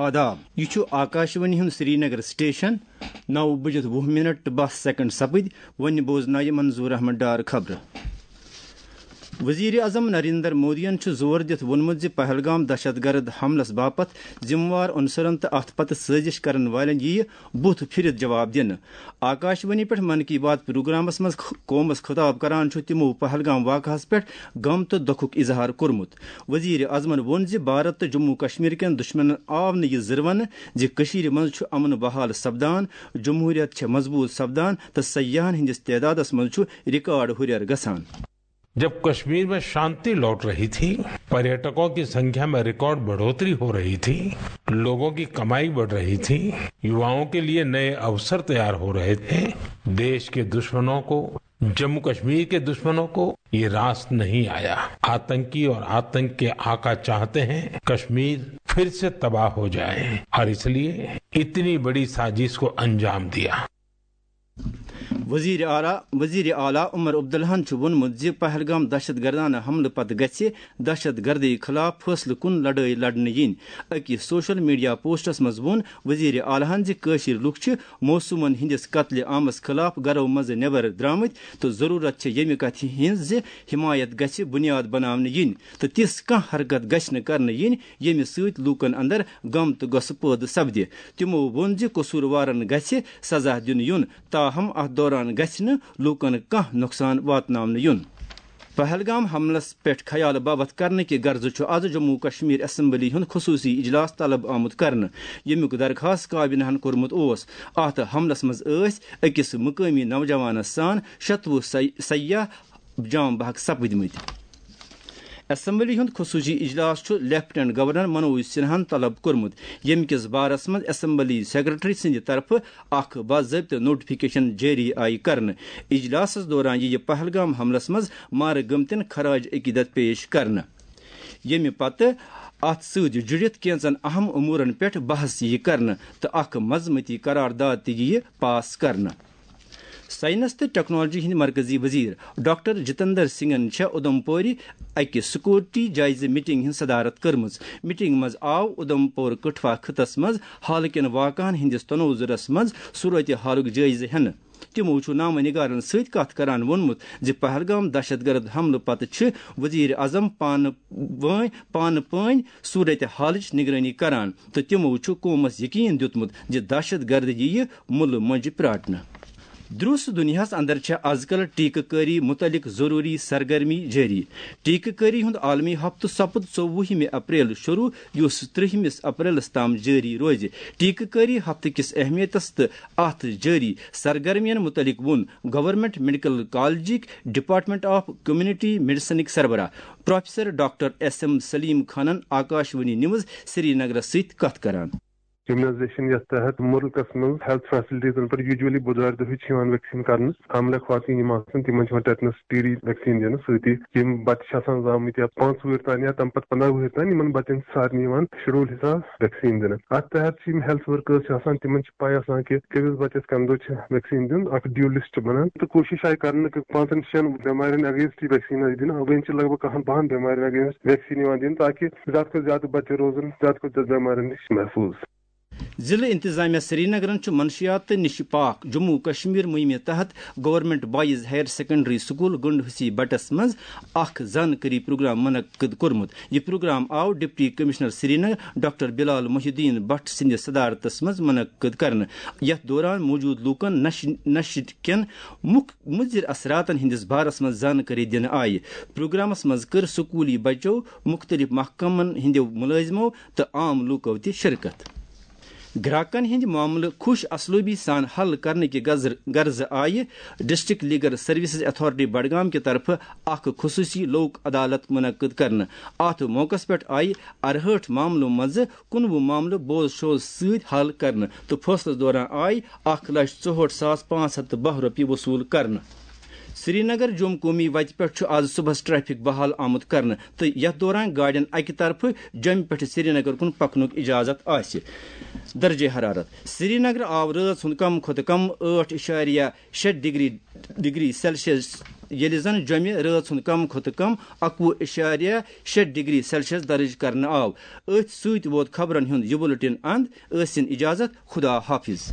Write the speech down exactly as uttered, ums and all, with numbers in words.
آداب، یہِ چھُ آکاشوانی ہُنٛد سرینگر سٹیشن۔ نو بجِتھ وُہ منٹ تہٕ باہ سیکنڈ سپٕدۍ۔ وۄنۍ بوزناوِ منظور احمد ڈار خبرٕ۔ وزیر اعظم نریندر مودیَن چھُ زور دِتھ ووٚنمُت زِ پہلگام دہشت گرد حملس باپتھ ذمہٕ وار عنصرن تہٕ اتھ پتہٕ سٲزش کرن والٮ۪ن یِیہِ بُتھ پھِرِتھ جواب دِنہٕ۔ آکاشوانی پٮ۪ٹھ من کی بات پروگرامس منٛز خ-، قومس خطاب کران چھُ تِمو پہلگام واقعہس پٮ۪ٹھ غم تہٕ دۄکھُک اظہار کوٚرمُت۔ وزیر اعظمن ووٚن زِ بھارت تہٕ جموں کشمیر کٮ۪ن دشمنن آو نہٕ یہِ زٕروَنہٕ زِ کٔشیٖرِ منٛز چھُ امن بحال سپدان، جمہوریت چھےٚ مضبوط سپدان تہٕ سیاحن ہٕنٛدِس تعدادس منٛز چھُ ریکارڈ ہُرٮ۪ر گژھان۔ जब कश्मीर में शांति लौट रही थी, पर्यटकों की संख्या में रिकॉर्ड बढ़ोतरी हो रही थी, लोगों की कमाई बढ़ रही थी, युवाओं के लिए नए अवसर तैयार हो रहे थे, देश के दुश्मनों को, जम्मू कश्मीर के दुश्मनों को ये रास नहीं आया। आतंकी और आतंक के आका चाहते हैं कश्मीर फिर से तबाह हो जाए और इसलिए इतनी बड़ी साजिश को अंजाम दिया। وزیر اعلیٰ وزیر اعلیٰ عمر عبداللہن چھُ ووٚنمُت زِ پہلگام دہشت گردانہ حملہٕ پتہٕ گژھِ دہشت گردی خلاف فٲصلہٕ کُن لڑٲے لڑنہٕ یِنۍ۔ أکِس سوشل میڈیا پوسٹس منٛز ووٚن وزیر اعلیٰ ہن زِ کٲشِر لُکھ چھِ معصومن ہٕنٛدِس قتلِ عامس خلاف گرو منٛزٕ نٮ۪بر درٛامٕتۍ تہٕ ضروٗرت چھےٚ ییٚمہِ کتھِ ہٕنٛز زِ حمایت گژھِ بُنیاد بناونہٕ یِنۍ تہٕ تِژھ کانٛہہ حرکت گژھِ نہٕ کرنہٕ یِنۍ، ییٚمہِ سۭتۍ لوٗکن اندر غم تہٕ غصہٕ پٲدٕ سپدِ۔ تِمو ووٚن زِ قصوٗروارن گژھِ سزا دِنہٕ یُن، تاہم اتھ دوران گژھِ نہٕ لوٗکن کانٛہہ نۄقصان واتناونہٕ یُن۔ پہلگام حملس پٮ۪ٹھ خیال باوتھ کرنہٕ کہِ غرضہٕ چھُ از جموں کشمیر اسمبلی ہُنٛد خصوٗصی اجلاس طلب آمُت کرنہٕ، ییٚمیُک درخاست کابینہن کوٚرمُت اوس۔ اتھ حملس منٛز ٲسۍ أکِس مقٲمی نوجوانس سان شتوُہ سیاح جام بحق سپٕدمٕتۍ۔ اسمبلی ہُنٛد خصوٗصی اجلاس چھُ لیفٹیننٹ گورنر منوج سنہاہن طلب کوٚرمُت، ییٚمہِ کِس بارس منٛز اسمبلی سیکرٹری سٕنٛدِ طرفہٕ اکھ باضٲبطہٕ نوٹیفکیشن جٲری آیہِ کرنہٕ۔ اجلاسس دوران یِیہِ پہلگام حملس منٛز مارٕ گٔمتٮ۪ن خراج عقیدت پیش کرنہٕ، ییٚمہِ پتہٕ اتھ سۭتۍ جُڑِتھ کینٛژن اہم امورن پٮ۪ٹھ بحث یِیہِ کرنہٕ تہٕ اکھ مذمتی قرارداد تہِ یِیہِ پاس کرنہٕ۔ ساینس تہٕ ٹیکنالوجی ہٕنٛدۍ مرکزی وزیر ڈاکٹر جتندر سنگھن چھےٚ اُدھمپورِ اکہِ سکیورٹی جٲیزٕ میٹنگ ہٕنٛز صدارت کٔرمٕژ۔ میٹنگ منٛز آو اُدھمپور کٹھوا خطس منٛز حالہٕ کٮ۪ن واقعن ہٕنٛدِس تنوظرس منٛز صورت حالُک جٲیزٕ ہٮ۪نہٕ۔ تِمو چھُ نامہ نگارن سۭتۍ کتھ کران ووٚنمُت زِ پہلگام دہشت گرد حملہٕ پتہٕ چھِ وزیر اعظم پانہٕ وٲنۍ پانہٕ پٲنۍ صورت حالٕچ نگرٲنی کران تہٕ تِمو چھُ قومس یقین دیُتمُت زِ دہشت گرد یِیہِ مُلہٕ مۄنجہِ پراٹنہٕ۔ درُس دُنیاہس اندر چھےٚ از کل ٹیکہٕ کٲری متعلق ضروری سرگرمی جٲری۔ ٹیکہٕ کٲری ہُنٛد عالمی ہفتہٕ سپُد ژوٚوُہمہِ اپریل شروع، یُس ترٛہمِس اپریلس تام جٲری روزِ۔ ٹیکہٕ کٲری ہفتہٕ کِس اہمیتس تہٕ اتھ جٲری سرگرمین متعلق ووٚن گورنمنٹ میڈیکل کالجٕکۍ ڈپارٹمنٹ آف کمیونٹی میڈیسنٕکۍ سربراہ professor doctor S M Saleem خانن آکاشوانی نیوز سری نگرس سۭتۍ کتھ کران۔ امیونائزیشن یتھ تحت ملکس منٛز ہیلتھ فیسلٹیزن پٮ۪ٹھ یوجولی بدوارِ دۄہٕے چھِ یِوان ویکسین کرنہٕ۔ حاملہ خواتین یِم آسان، تِمن چھِ یِوان ٹیٹنس ٹی ڈی ویکسین دِنہٕ۔ سۭتی یِم بچہِ چھِ آسان زامٕتۍ یا پانٛژھ وُہٕرۍ تام یا تمہِ پتہٕ پنٛداہ وُہٕرۍ تام، یِمن بچن چھِ سارنٕے یِوان شیڈول حساب ویکسین دِنہٕ۔ اتھ تحت چھِ یِم ہیلتھ ورکرز چھِ آسان، تِمن چھِ پاے آسان کہِ کٔمِس بچس کمہِ دۄہ چھِ ویکسین دیُن۔ اکھ ڈیو لسٹ بنان تہٕ کوٗشش آیہِ کرنہٕ کہِ پانٛژن شٮ۪ن بٮ۪مارٮ۪ن against یہِ ویکسین آسہِ دِنہٕ، وۄنۍ چھِ لگ بگ کہن بہن بٮ۪مارٮ۪ن against ویکسین یِوان دِنہٕ، تاکہِ زیادٕ کھۄتہٕ زیادٕ بچہِ روزن زیادٕ کھۄتہٕ زیادٕ بٮ۪مارٮ۪ن نِش محفوٗظ۔ ضلع انتظامیہ سرینگرن چھُ منشیات تہٕ نِشہِ پاک جموں کشمیر مُہِمہِ تحت government boys higher secondary school Gund Hassi بٹس منٛز اکھ زانکٲری پروگرام منعقد کوٚرمُت۔ یہِ پروگرام آو deputy commissioner Srinagar doctor Bilal Mohi ud-Din Bhat سٕنٛدِ صدارتس منٛز منعقد کرنہٕ، یتھ دوران موجود لوٗکن نشہِ نشہِ کٮ۪ن مُک مُضر اثراتن ہٕنٛدِس بارس منٛز زانکٲری دِنہٕ آیہِ۔ پروگرامس منٛز کٔر سکوٗلی بچو، مُختٔلِف محکمن ہٕنٛدیو مُلٲزمو تہٕ عام لوٗکو تہِ شرکت۔ گراکن ہٕنٛدۍ معاملہٕ خوش اسلوبی سان حل کرنہٕ کہِ غزر-، غرضہٕ آیہِ district legal services authority Budgam کہِ طرفہٕ اکھ خصوٗصی لوک عدالت منعقد کرنہٕ۔ اتھ موقعس پٮ۪ٹھ آیہِ ارہٲٹھ معاملو منٛزٕ کُنوُہ معاملہٕ بوز شوز سۭتۍ حل کرنہٕ تہٕ فٲصلس دوران آیہِ اکھ لچھ ژُہٲٹھ ساس پانٛژھ ہتھ تہٕ باہ رۄپیہِ وصوٗل کرنہٕ۔ سرینگر جوٚم قومی وتہِ پٮ۪ٹھ چھُ آز صبحس ٹریفک بحال آمُت کرنہٕ تہٕ یتھ دوران گاڑٮ۪ن اکہِ طرفہٕ جوٚمہِ پٮ۪ٹھ سرینگر کُن پکنُک اجازت آسہِ۔ درجہ حرارت۔ سرینگر آو رٲژ ہُنٛد کم کھۄتہٕ کم ٲٹھ اِشاریہ شےٚ ڈگری، ڈگری سیلسیس ییٚلہِ زن جوٚمہِ رٲژ ہُنٛد کم کھۄتہٕ کم اَکوُہ اِشاریہ شےٚ ڈگری سیلسیس درج کرنہٕ آو۔ أتھۍ سۭتۍ ووت خبرن ہُنٛد یہِ بُلٹن اند۔ ٲسِن اجازت، خدا حافظ۔